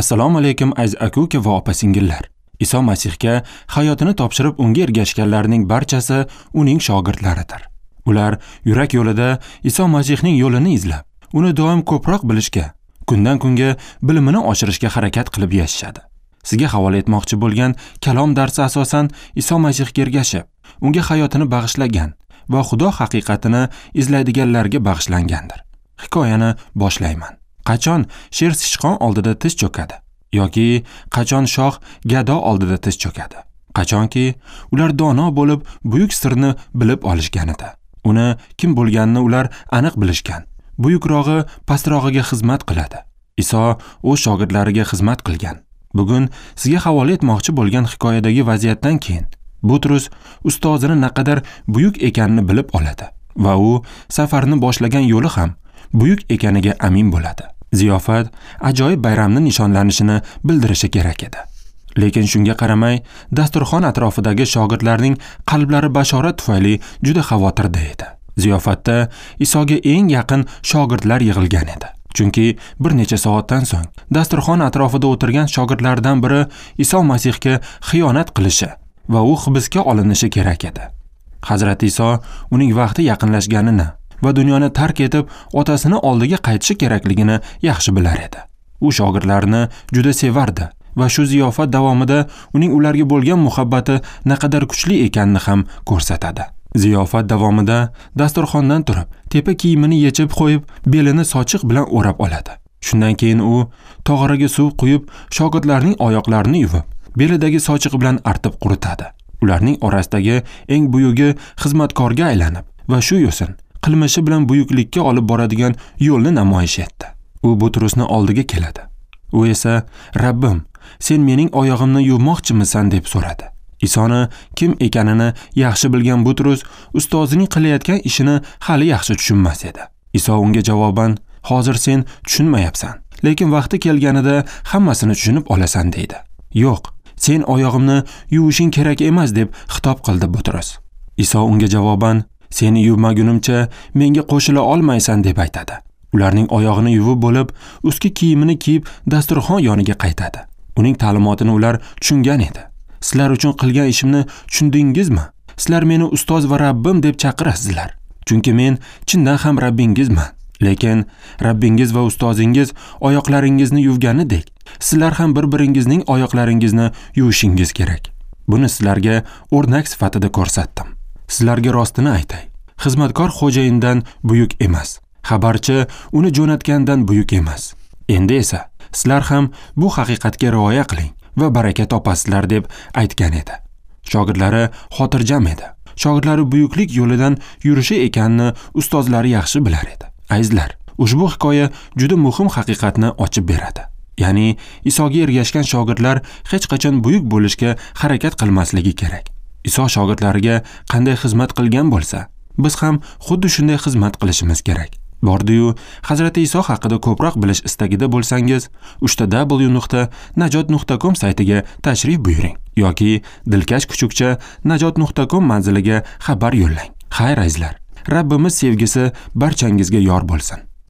Assalomu alaykum aziz aka-uka va opa-singillar. Iso Masihga hayotini topshirib unga ergashganlarning barchasi uning shogirdlaridir. Ular yurak yo'lida Iso Masihning yo'lini izlab, uni doim ko'proq bilishga, kundan kunga bilimini oshirishga harakat qilib yashashadi. Sizga havola etmoqchi bo'lgan kalom darsi asosan Iso Masihga ergashib, unga hayotini bag'ishlagan va Xudo haqiqatini izlaydiganlarga bag'ishlangandir. Hikoyani boshlayman. Qachon sher sichqon oldida tiz cho'kadi yoki qachon shoh gado oldida tiz cho'kadi? Qachonki ular dono bo'lib buyuk sirni bilib olishganida. Uni kim bo'lganini ular aniq bilishgan. Buyukrog'i pastrog'iga xizmat qiladi. Iso o'z shogirdlariga xizmat qilgan. Bugun sizga havola etmoqchi bo'lgan hikoyadagi vaziyatdan keyin Butrus ustozini naqadar buyuk ekanini bilib oladi va u safarni boshlagan yo'li ham buyuk ekaniga amin bo'ladi. Ziyofat ajoyib bayramni nishonlanishini bildirishi kerak edi. Lekin shunga qaramay, dasturxon atrofidagi shogirdlarning qalblari bashorat tufayli juda xavotirda edi. Ziyofatda Isoga eng yaqin shogirdlar yig'ilgan edi. Chunki bir necha soatdan so'ng dasturxon atrofida o'tirgan shogirdlardan biri Iso Masihga xiyonat qilishi va u hibsga olinishi kerak edi. Hazrati Iso uning vaqti yaqinlashganini va dunyoni tark etib otasini oldiga qaytishi kerakligini yaxshi bilar edi. U shogirdlarini juda sevardi va shu ziyofat davomida uning ularga bo'lgan muhabbati naqadar kuchli ekanini ham ko'rsatadi. Ziyofat davomida dasturxondan turib, tepa kiyimini yechib qo'yib, belini sochiq bilan o'rab oladi. Shundan keyin u tog'oraga suv quyib, shogirdlarning oyoqlarini yuvib, belidagi sochiq bilan artib quritadi. Ularning orasidagi eng buyugi xizmatkorga aylanib va shu yo'sin qilmishi bilan buyuklikka olib boradigan yo'lni namoyish etdi. U Butrusni oldiga keladi. U esa, "Rabbim, sen mening oyog'imni yuvmoqchimisan?" deb so'radi. Isoni kim ekanini yaxshi bilgan Butrus ustozining qilayotgan ishini hali yaxshi tushunmas edi. Iso unga javoban, "Hozir sen tushunmayapsan, lekin vaqti kelganida hammasini tushunib olasan" deydi. "Yo'q, sen oyog'imni yuvishing kerak emas" deb xitob qildi Butrus. Iso unga javoban, "Seni yuvmagunimcha menga qo'shila olmaysan" deb aytadi. Ularning oyog'ini yuvib bo'lib, ustki kiyimini kiyib dasturxon yoniga qaytadi. Uning ta'limotini ular tushungan edi. "Sizlar uchun qilgan ishimni tushundingizmi? Sizlar meni ustoz va Rabbim deb chaqirasizlar. Chunki men chindan ham Rabbingizman. Lekin Rabbingiz va ustozingiz oyoqlaringizni yuvganidek, sizlar ham bir-biringizning oyoqlaringizni yuvishingiz kerak. Buni sizlarga o'rnak sifatida ko'rsatdim. Sizlarga rostini aytay. Xizmatkor xo'jayindan buyuk emas, xabarchi uni jo'natgandan buyuk emas. Endi esa sizlar ham bu haqiqatga rioya qiling va baraka topasizlar" deb aytgan edi. Shogirdlari xotirjam edi. Shogirdlari buyuklik yo'lidan yurishi ekanini ustozlari yaxshi bilar edi. Azizlar, ushbu hikoya juda muhim haqiqatni ochib beradi. Ya'ni Isoga ergashgan shogirdlar hech qachon buyuk bo'lishga harakat qilmasligi kerak. Iso shogirdlariga qanday xizmat qilgan bo'lsa, biz ham xuddi shunday xizmat qilishimiz kerak. Bordi-yu, Hazrati Iso haqida ko'proq bilish istagida bo'lsangiz, www.najot.com saytiga tashrif buyuring yoki dilkash kuchukcha najot.com manziliga xabar yo'llang. Xayr azizlar, Rabbimiz sevgisi barchangizga yor bo'lsin.